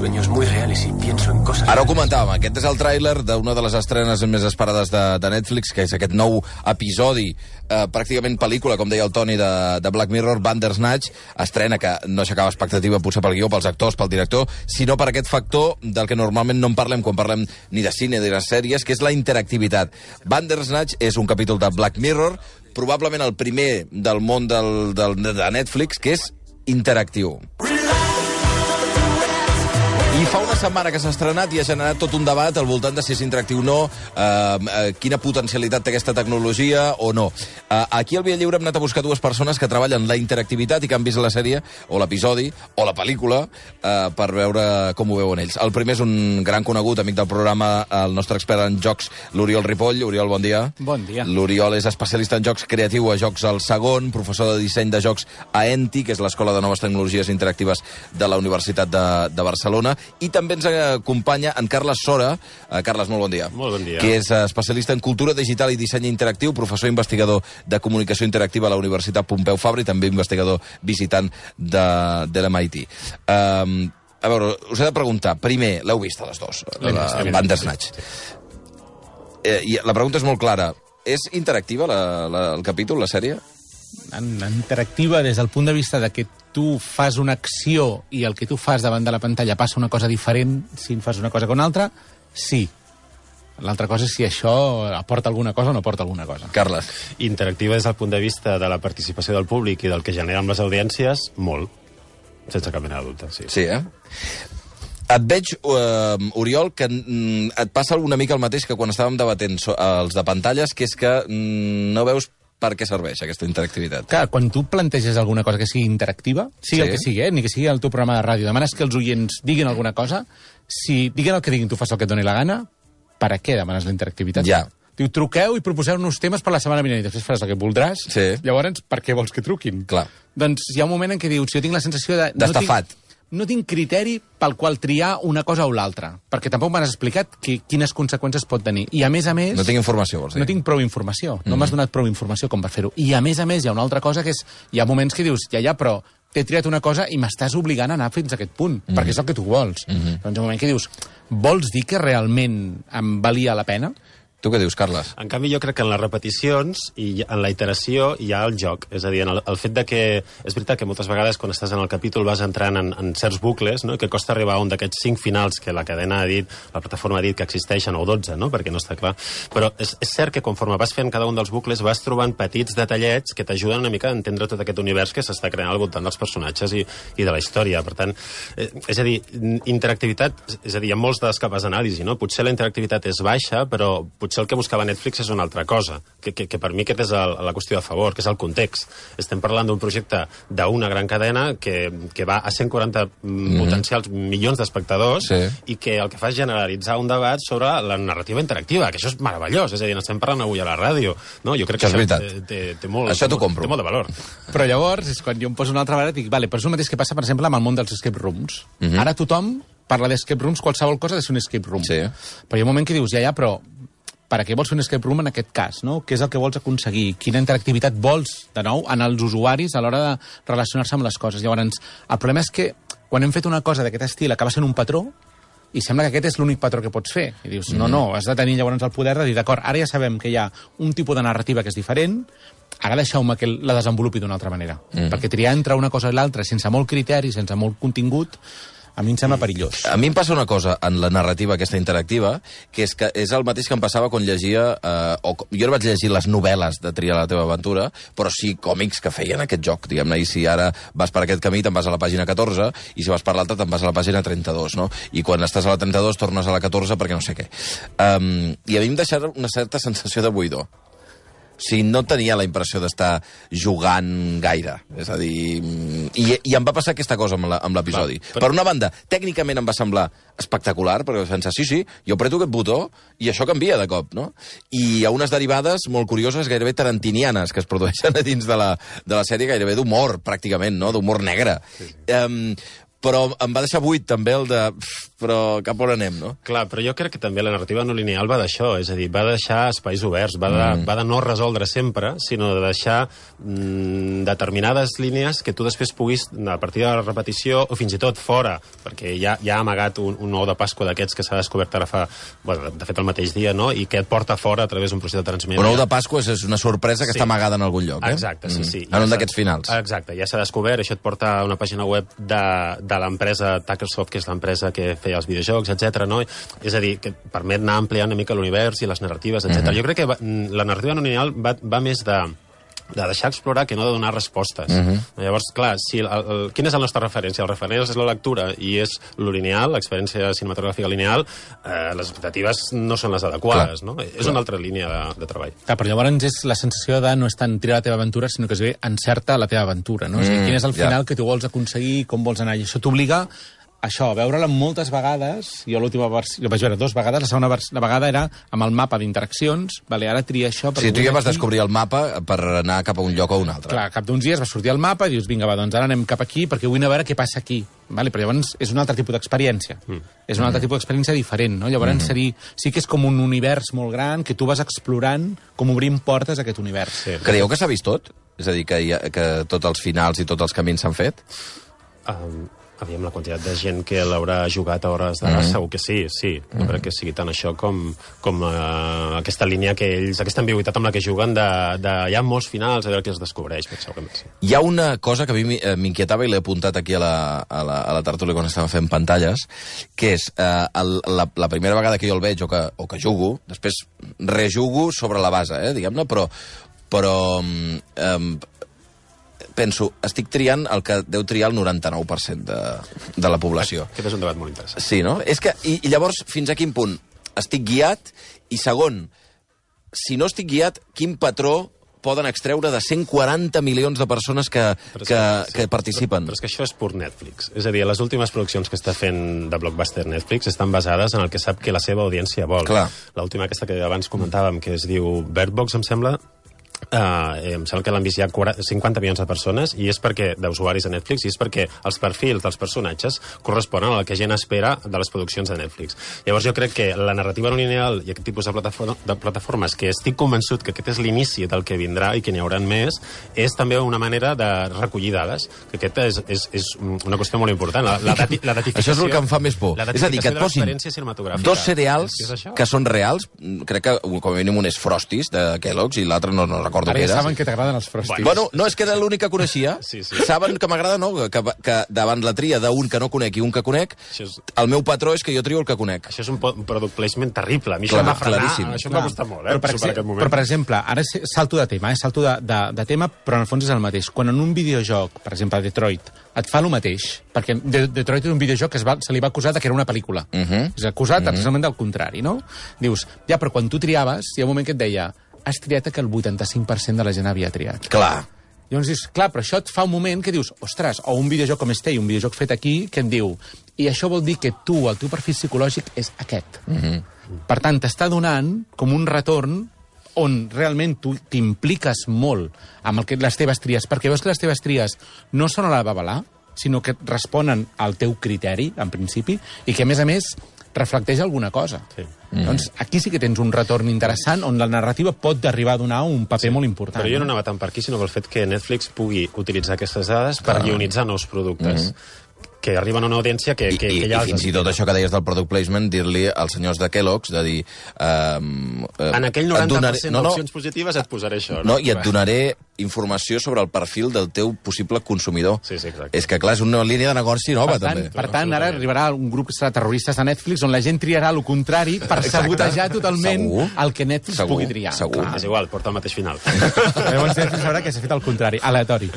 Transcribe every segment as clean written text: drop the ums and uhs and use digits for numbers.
sueños muy reales y pienso en cosas... Ara ho comentàvem, aquest és el tràiler d'una de les estrenes més esperades de Netflix, que és aquest nou episodi, pràcticament pel·lícula, com deia el Toni, de Black Mirror, Bandersnatch, estrena que no aixecava expectativa potser pel guió, pels actors, pel director, sinó per aquest factor del que normalment no en parlem quan parlem ni de cine ni de sèries, que és la interactivitat. Bandersnatch és un capítol de Black Mirror, probablement el primer del món de Netflix, que és interactiu. I fa una setmana que s'ha estrenat i ha generat tot un debat al voltant de si és interactiu o no, quina potencialitat té aquesta tecnologia o no. Aquí al Via Lliure hem anat a buscar dues persones que treballen la interactivitat i que han vist la sèrie, o l'episodi, o la pel·lícula, per veure com ho veuen ells. El primer és un gran conegut, amic del programa, el nostre expert en jocs, l'Oriol Ripoll. Oriol, bon dia. Bon dia. L'Oriol és especialista en jocs creatiu a Jocs al Segon, professor de disseny de jocs a ENTI, que és l'Escola de Noves Tecnologies Interactives de la Universitat de Barcelona. I també ens acompanya en Carles Sora. Carles, molt bon dia. Molt bon dia. Que és especialista en cultura digital i disseny interactiu, professor investigador de comunicació interactiva a la Universitat Pompeu Fabra i també investigador visitant de l'MIT. A veure, us he de preguntar, primer, l'heu vist a les dues, Bandersnatch. I la pregunta és molt clara. És interactiva el capítol, la sèrie? Interactiva des del punt de vista de que tu fas una acció i el que tu fas davant de la pantalla passa una cosa diferent si en fas una cosa que una altra, sí. L'altra cosa és si això aporta alguna cosa o no aporta alguna cosa. Carles. Interactiva des del punt de vista de la participació del públic i del que genera amb les audiències, molt. Sense cap mena de dubte, sí. Sí, Et veig, Oriol, que et passa una mica el mateix que quan estàvem debatent els de pantalles, que és que no veus per què serveix aquesta interactivitat. Clar, quan tu planteges alguna cosa que sigui interactiva, sigui el que sigui, ni que sigui el teu programa de ràdio, demanes que els oients diguin alguna cosa, si diguin el que diguin, tu fas el que et doni la gana, per a què demanes la interactivitat? Ja. Diu, truqueu i proposeu-nos temes per la setmana vinent i després faràs el que voldràs. Sí. Llavors, per què vols que truquin? Clar. Doncs hi ha un moment en què dius, jo tinc la sensació de... D'estafat. No tinc criteri pel qual triar una cosa o l'altra, perquè tampoc m'has explicat quines conseqüències pot tenir. I a més... No tinc informació, vols dir? No tinc prou informació. No m'has donat prou informació com per fer-ho. I a més, hi ha una altra cosa que és... Hi ha moments que dius, ja, però t'he triat una cosa i m'estàs obligant a anar fins a aquest punt, perquè és el que tu vols. Doncs hi ha un moment que dius, vols dir que realment em valia la pena? Tu què dius, Carles? En canvi, jo crec que en les repeticions i en la iteració hi ha el joc. És a dir, el fet de que... És veritat que moltes vegades quan estàs en el capítol vas entrant en certs bucles, no? I que costa arribar a un d'aquests 5 finals que la cadena ha dit, la plataforma ha dit que existeixen, o 12, no? Perquè no està clar. Però és cert que conforme vas fent cada un dels bucles vas trobant petits detallets que t'ajuden una mica a entendre tot aquest univers que s'està creant al voltant dels personatges i de la història. Per tant, és a dir, interactivitat... És a dir, hi ha molts d'escapes d'anàlisi, no? Potser la interactivitat és baixa, però potser el que buscava Netflix és una altra cosa, que per mi aquest és la qüestió a favor, que és el context. Estem parlant d'un projecte d'una gran cadena que va a 140 potencials milions d'espectadors i que el que fa és generalitzar un debat sobre la narrativa interactiva, que això és meravellós, és a dir, n'estem parlant avui a la ràdio. No? Jo crec que això té molt de valor. Però llavors, és quan jo em poso una altra vegada i dic, vale, però és el mateix que passa, per exemple, amb el món dels escape rooms. Ara tothom parla d'escape rooms, qualsevol cosa ha de ser un escape room. Sí. Però hi ha un moment que dius, ja, però per a què vols fer un escape room en aquest cas, no? Què és el que vols aconseguir? Quina interactivitat vols, de nou, en els usuaris a l'hora de relacionar-se amb les coses? Llavors, el problema és que quan hem fet una cosa d'aquest estil acaba sent un patró i sembla que aquest és l'únic patró que pots fer. I dius, no, has de tenir llavors el poder de dir, d'acord, ara ja sabem que hi ha un tipus de narrativa que és diferent, ara deixeu-me que la desenvolupi d'una altra manera. Perquè triar entre una cosa i l'altra sense molt criteri, sense molt contingut, a mi em sembla perillós. A mi em passa una cosa en la narrativa aquesta interactiva, que és el mateix que em passava quan llegia... jo no vaig llegir les novel·les de Triar la teva aventura, però sí còmics que feien aquest joc, diguem-ne, i si ara vas per aquest camí te'n vas a la pàgina 14, i si vas per l'altra te'n vas a la pàgina 32, no? I quan estàs a la 32 tornes a la 14 perquè no sé què. I a mi em deixava una certa sensació de buidor. O sigui, no tenia la impressió d'estar jugant gaire. És a dir... I em va passar aquesta cosa amb l'episodi. Per una banda, tècnicament em va semblar espectacular, perquè vaig pensar, sí, jo apreto aquest botó i això canvia de cop, no? I hi ha unes derivades molt curioses, gairebé tarantinianes, que es produeixen a dins de la sèrie, gairebé d'humor, pràcticament, no? D'humor negre. però em va deixar buit també el de... Però cap on anem, no? Clar, però jo crec que també la narrativa no lineal va d'això, és a dir, va deixar espais oberts, va de no resoldre sempre, sinó de deixar determinades línies que tu després puguis, a partir de la repetició, o fins i tot fora, perquè ja ha amagat un ou de Pasqua d'aquests que s'ha descobert ara fa, bueno, de fet el mateix dia, no?, i que et porta fora a través d'un procés de transmissió. Un ou de Pasqua és una sorpresa que està amagada en algun lloc, eh? Exacte, sí. En un d'aquests finals. Exacte, ja s'ha descobert, això et porta a una pàgina web de l'empresa Tuckersoft, que és l'empresa que feia els videojocs, etc. No? És a dir, que permet anar ampliant una mica l'univers i les narratives, etc. Jo crec que la narrativa no lineal va més de deixar explorar que no de donar respostes. Llavors, clar, quina és la nostra referència? El referent és la lectura i és lo lineal, l'experiència cinematogràfica lineal, les expectatives no són les adequades, no? És una altra línia de treball. Clar, però llavors és la sensació de no és tant triar la teva aventura, sinó que es ve encerta la teva aventura, no? És a dir, quin és el final que tu vols aconseguir, com vols anar, i això t'obliga això, veure-la moltes vegades. Jo l'última versió, jo vaig veure 2 vegades, la segona vegada era amb el mapa d'interaccions, vale, ara tria això... Sí, tu ja vas descobrir el mapa per anar cap a un lloc o un altre. Clar, cap d'uns dies vas sortir al mapa i dius, vinga, va, doncs ara anem cap aquí perquè vull anar a veure què passa aquí. Vale, però llavors és un altre tipus d'experiència. És un altre tipus d'experiència diferent, no? Llavors sí que és com un univers molt gran que tu vas explorant, com obrint portes a aquest univers. Sí. Creieu que s'ha vist tot? És a dir, que tots els finals i tots els camins s'han fet? Aviam, la quantitat de gent que l'haurà jugat a hores d'ara, segur que sí. No crec que sigui tant això com aquesta línia que ells, aquesta ambigüitat amb la que juguen de hi ha molts finals, a veure què es descobreix, segurament sí. Hi ha una cosa que a mi m'inquietava i l'he apuntat aquí a la tertúlia quan estava fent pantalles, que és la primera vegada que jo el veig o que jugo, després rejugo sobre la base, diguem-ne, però penso, estic triant el que deu triar el 99% de la població. Aquest és un debat molt interessant. Sí, no? És que, i llavors, fins a quin punt estic guiat? I segon, si no estic guiat, quin patró poden extreure de 140 milions de persones que participen? Però és que això és pur Netflix. És a dir, les últimes produccions que està fent de blockbuster Netflix estan basades en el que sap que la seva audiència vol. L'última aquesta que abans comentàvem, que es diu Bird Box, em sembla que l'han vist ja 50 milions de persones i és perquè d'usuaris de Netflix i és perquè els perfils dels personatges corresponen al que gent espera de les produccions de Netflix. Llavors jo crec que la narrativa no lineal i aquest tipus de plataformes, que estic convençut que aquest és l'inici del que vindrà i que n'hi hauran més, és també una manera de recollir dades, que aquest és una qüestió molt important. La datificació... Això és el que em fa més por. És a dir, que et posin 2 cereals que són reals, crec que com a mínim un és Frosties de Kellogg's i l'altre no recordo què era. Ara saben que t'agraden els Frosties. Bueno, no, és que era l'únic que coneixia. Sí. Saben que m'agrada, no? Que davant la tria d'un que no conec i un que conec, el meu patró és que jo trio el que conec. Això és un product placement terrible. A mi això em va frenar, això em va costar molt, Però, per exemple, ara salto de tema, salto de tema, però en el fons és el mateix. Quan en un videojoc, per exemple, Detroit, et fa el mateix, perquè Detroit és un videojoc que se li va acusar que era una pel·lícula. És acusat exactament del contrari, no? Dius, ja, però quan tu triaves, hi ha un moment que et deia has triat que el 85% de la gent havia triat. Clar. Llavors dius, clar, però això et fa un moment que dius, ostres, o un videojoc com Stay, un videojoc fet aquí, que et diu, i això vol dir que tu, el teu perfil psicològic és aquest. Per tant, t'està donant com un retorn on realment tu t'impliques molt amb les teves tries, perquè veus que les teves tries no són a la babalà, sinó que responen al teu criteri, en principi, i que, a més, reflecteix alguna cosa. Sí. Doncs aquí sí que tens un retorn interessant on la narrativa pot arribar a donar un paper molt important. Però jo no anava tant per aquí, sinó pel fet que Netflix pugui utilitzar aquestes dades per guionitzar nous productes. Que arriben a una audiència que ja... I fins i tot això que deies del product placement, dir-li als senyors de Kellogg's, de dir... en aquell 90% d'opcions positives et posaré això. No, i et donaré informació sobre el perfil del teu possible consumidor. Sí, exacte. És que, clar, és una línia de negoci nova, també. Per tant, ara arribarà un grup de terroristes de Netflix on la gent triarà el contrari per sabotejar totalment el que Netflix pugui triar. Segur. És igual, porta el mateix final. Llavors Netflix sabrà que s'ha fet el contrari, aleatori.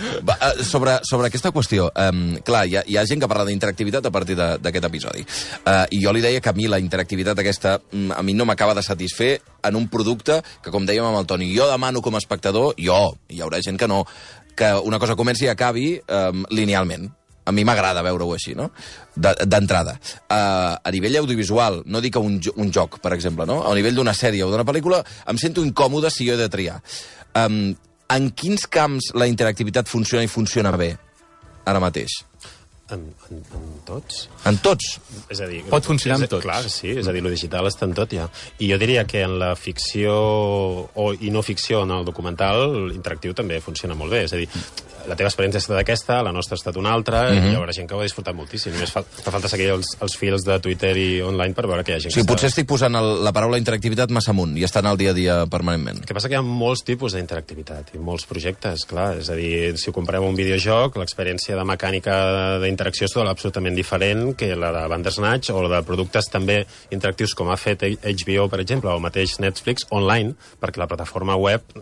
Sobre aquesta qüestió, clar, hi ha gent que parla d'interactivitat a partir d'aquest episodi. I jo li deia que a mi la interactivitat aquesta a mi no m'acaba de satisfer en un producte que, com dèiem amb el Toni, jo demano com a espectador, hi haurà gent que no, que una cosa comenci i acabi linealment. A mi m'agrada veure-ho així, no? D'entrada. A nivell audiovisual, no dic un joc, per exemple, no? A nivell d'una sèrie o d'una pel·lícula, em sento incòmode si jo he de triar. En quins camps la interactivitat funciona i funciona bé ara mateix? En tots. En tots? És a dir, pot funcionar amb tots. Clar, sí, és a dir, lo digital està en tot ja. I jo diria que en la ficció i no ficció, en el documental, l'interactiu també funciona molt bé. És a dir, la teva experiència ha estat aquesta, la nostra ha estat una altra, i hi haurà gent que ho ha disfrutat moltíssim. Només fa falta seguir els fils de Twitter i online per veure que hi ha gent que potser estic posant la paraula interactivitat massa amunt i estan al dia a dia permanentment. El que passa que hi ha molts tipus d'interactivitat i molts projectes, clar. És a dir, si ho comparem un videojoc, l'experiència de mecànica d'interacció és absolutament diferent que la de Bandersnatch o la de productes també interactius com ha fet HBO, per exemple, o el mateix Netflix, online, perquè la plataforma web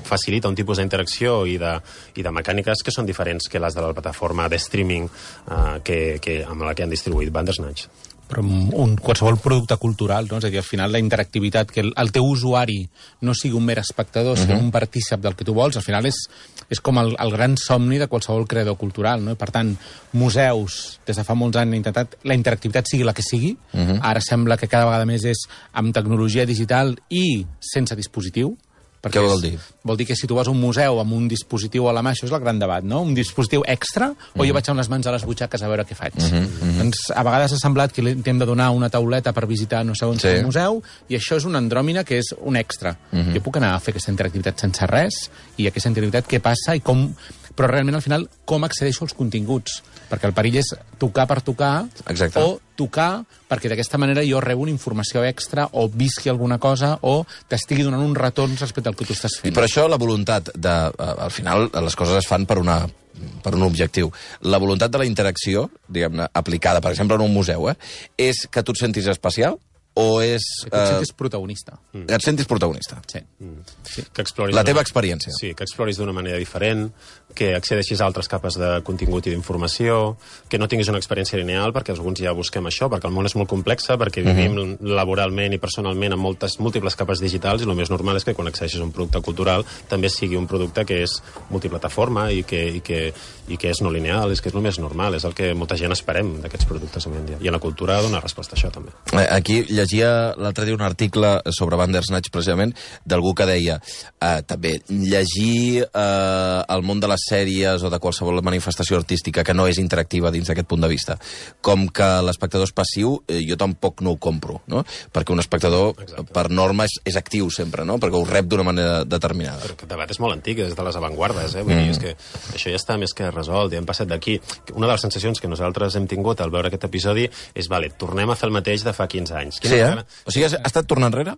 facilita un tipus d'interacció i de mecàniques que són diferents que les de la plataforma de streaming amb la que han distribuït Bandersnatch. Però qualsevol producte cultural, no? És a dir, al final la interactivitat, que el teu usuari no sigui un mer espectador, sinó un partícip del que tu vols, al final és com el gran somni de qualsevol creador cultural, no? I per tant, museus, des de fa molts anys han intentat la interactivitat sigui la que sigui, ara sembla que cada vegada més és amb tecnologia digital i sense dispositiu. Què vol dir? Vol dir que si tu vas a un museu amb un dispositiu a la mà, això és el gran debat, no? Un dispositiu extra, o jo vaig amb les mans a les butxaques a veure què faig. Doncs a vegades ha semblat que li hem de donar una tauleta per visitar no sé on un museu, i això és una andròmina que és un extra. Jo puc anar a fer aquesta interactivitat sense res, i aquesta interactivitat què passa i com... Però realment, al final, com accedeixo als continguts? Perquè el perill és tocar per tocar, o tocar perquè d'aquesta manera jo rebo una informació extra o visqui alguna cosa o t'estigui donant un retorn respecte al que tu estàs fent. I per això la voluntat de... Al final, les coses es fan per un objectiu. La voluntat de la interacció, diguem-ne, aplicada, per exemple, en un museu, és que tu et sentis especial o és... Que et sentis protagonista. Et sentis protagonista. Sí. Que exploris la teva experiència. Sí, que exploris d'una manera diferent, que accedeixis a altres capes de contingut i d'informació, que no tinguis una experiència lineal, perquè alguns ja busquem això, perquè el món és molt complex, perquè vivim laboralment i personalment amb múltiples capes digitals, i el més normal és que quan accedeixis a un producte cultural també sigui un producte que és multiplataforma i que és no lineal, és que és el més normal, és el que molta gent esperem d'aquests productes avui en dia. I en la cultura dona resposta a això, també. Aquí llegia l'altre dia un article sobre Bandersnatch, precisament, d'algú que deia també, llegir el món de les sèries o de qualsevol manifestació artística que no és interactiva dins d'aquest punt de vista, com que l'espectador és passiu, jo tampoc no ho compro, no? Perquè un espectador, per norma, és actiu sempre, no? Perquè ho rep d'una manera determinada. Però aquest debat és molt antic, des de les avantguardes, Vull dir, és que això ja està més que resolt, ja hem passat d'aquí. Una de les sensacions que nosaltres hem tingut al veure aquest episodi és, vale, tornem a fer el mateix de fa 15 anys. Sí, O sigui, ha estat tornar enrere?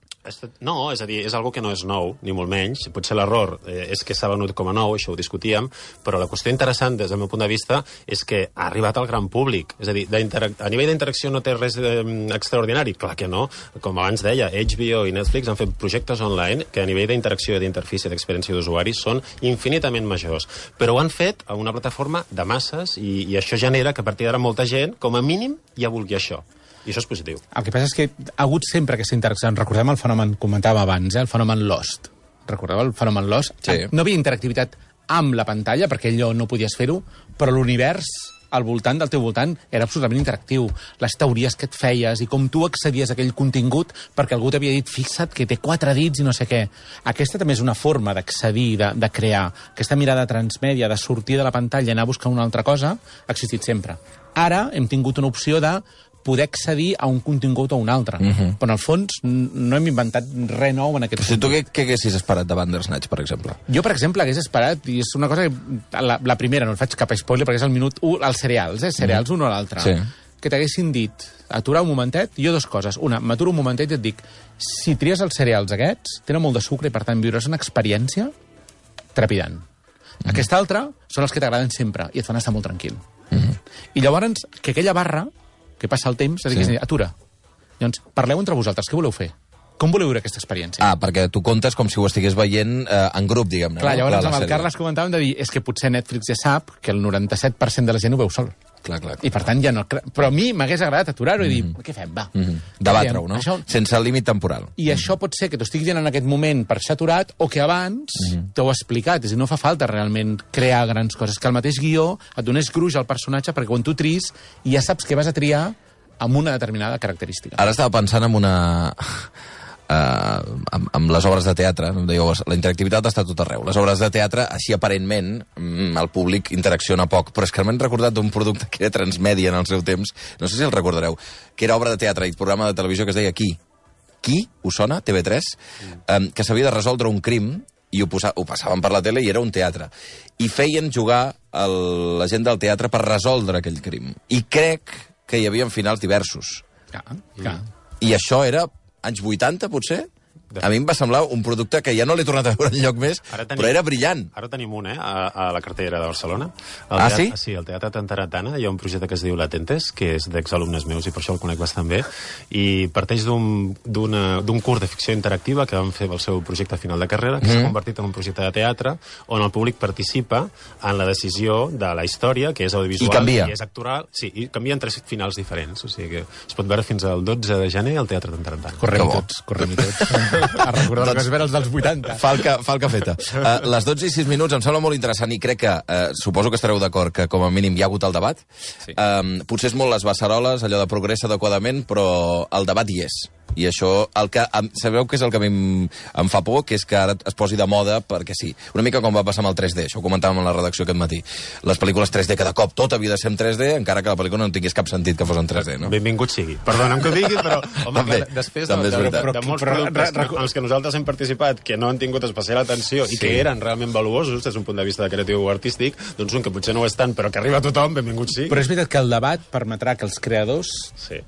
No, és a dir, és algo que no és nou, ni molt menys. Potser l'error és que s'ha venut com a nou, això ho discutíem, però la qüestió interessant, des del meu punt de vista, és que ha arribat al gran públic. És a dir, a nivell d'interacció no té res extraordinari? Clar que no. Com abans deia, HBO i Netflix han fet projectes online que a nivell d'interacció i d'interfície d'experiència d'usuaris són infinitament majors. Però ho han fet a una plataforma de masses i això genera que a partir d'ara molta gent, com a mínim, ja vulgui això. I això és positiu. El que passa és que ha hagut sempre aquesta interacció. Recordem el fenomen, comentàvem abans, el fenomen Lost. Recordeu el fenomen Lost? Sí. No havia interactivitat amb la pantalla, perquè allò no podies fer-ho, però l'univers al voltant del teu voltant era absolutament interactiu. Les teories que et feies i com tu accedies a aquell contingut perquè algú t'havia dit, fixa't que té 4 dits i no sé què. Aquesta també és una forma d'accedir, de crear. Aquesta mirada transmèdia, de sortir de la pantalla i anar a buscar una altra cosa, ha existit sempre. Ara hem tingut una opció de poder accedir a un contingut o un altre. Però, en el fons, no hem inventat res nou en aquest sentit. Tu què haguessis esperat de Bandersnatch, per exemple? Jo, per exemple, hagués esperat, i és una cosa que... La primera, no et faig cap spoiler, perquè és el minut 1, els cereals, cereals un o l'altre. Sí. Que t'haguessin dit, aturar un momentet, jo 2 coses. Una, m'aturo un momentet i et dic, si tries els cereals aquests, tenen molt de sucre i, per tant, viuràs una experiència trepidant. Aquesta altra són els que t'agraden sempre i et fan estar molt tranquil. I llavors, que aquella barra que passa el temps, és a dir, atura. Llavors, parleu entre vosaltres, què voleu fer? Com voleu viure aquesta experiència? Perquè tu comptes com si ho estigués veient en grup, diguem-ne. Clar, llavors amb el Carles comentàvem de dir, és que potser Netflix ja sap que el 97% de la gent ho veu sol. Clar. I per tant ja no... Però a mi m'hagués agradat aturar-ho i dir, què fem, va. Debatre-ho, no? Això... Sense límit temporal. I això pot ser que t'ho estigui dient en aquest moment per ser aturat o que abans t'ho he explicat. És a dir, no fa falta realment crear grans coses. Que el mateix guió et donés gruix al personatge perquè quan tu tris ja saps que vas a triar amb una determinada característica. Ara estava pensant en una... amb les obres de teatre, dèieu, la interactivitat està a tot arreu. Les obres de teatre, així aparentment, el públic interacciona poc, però és que m'he recordat d'un producte que era Transmèdia en el seu temps, no sé si el recordareu, que era obra de teatre i programa de televisió que es deia Qui, us sona? TV3, que s'havia de resoldre un crim i ho passaven per la tele i era un teatre. I feien jugar la gent del teatre per resoldre aquell crim. I crec que hi havia finals diversos. Clar. I això era anys 80, potser? A mi em va semblar un producte que ja no l'he tornat a veure enlloc més, però era brillant. Ara tenim un, a la cartera de Barcelona. Sí? Sí, al Teatre Tantaratana hi ha un projecte que es diu Latentes, que és d'exalumnes meus i per això el conec bastant bé, i parteix d'un curs de ficció interactiva que vam fer el seu projecte final de carrera, que s'ha convertit en un projecte de teatre on el públic participa en la decisió de la història, que és audiovisual I canvia. I és actoral. Sí, i canvia en 3 finals diferents, o sigui que es pot veure fins al 12 de gener al Teatre Tantaratana. Correm-hi tots. A recordar que es veure els dels 80. Falca feta. Les 12 i 6 minuts em sembla molt interessant i crec que, suposo que estareu d'acord que com a mínim hi ha hagut el debat. Sí. Potser és molt les beceroles, allò de progressa adequadament, però el debat hi és. I això, sabeu què és el que a mi em fa por? Que és que ara es posi de moda perquè sí. Una mica com va passar amb el 3D, això ho comentàvem en la redacció aquest matí. Les pel·lícules 3D, que de cop tot havia de ser en 3D, encara que la pel·lícula no tingués cap sentit que fos en 3D, no? Benvingut sigui. Perdona'm que ho digui, però home, també, després també és veritat. de molts productes en els que nosaltres hem participat que no han tingut especial atenció i que eren realment valuosos des d'un punt de vista de creatiu o artístic, doncs un que potser no ho és tant, però que arriba a tothom, benvingut sigui. Però és veritat que el debat permetrà que els creadors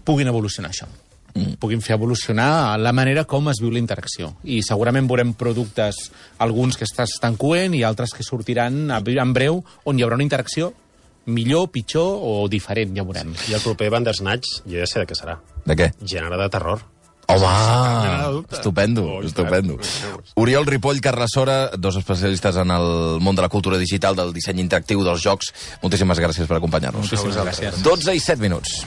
puguin evolucionar això. Puguin fer evolucionar la manera com es viu la interacció. I segurament veurem productes, alguns que estan coent i altres que sortiran en breu, on hi haurà una interacció millor, pitjor o diferent, ja veurem. I el proper Bandersnatch, jo ja sé de què serà. De què? Gènere de terror. Home, estupendo. Oriol Ripoll, Carles Sora, dos especialistes en el món de la cultura digital, del disseny interactiu, dels jocs. Moltíssimes gràcies per acompanyar-nos. Moltíssimes gràcies. 12 i 7 minuts.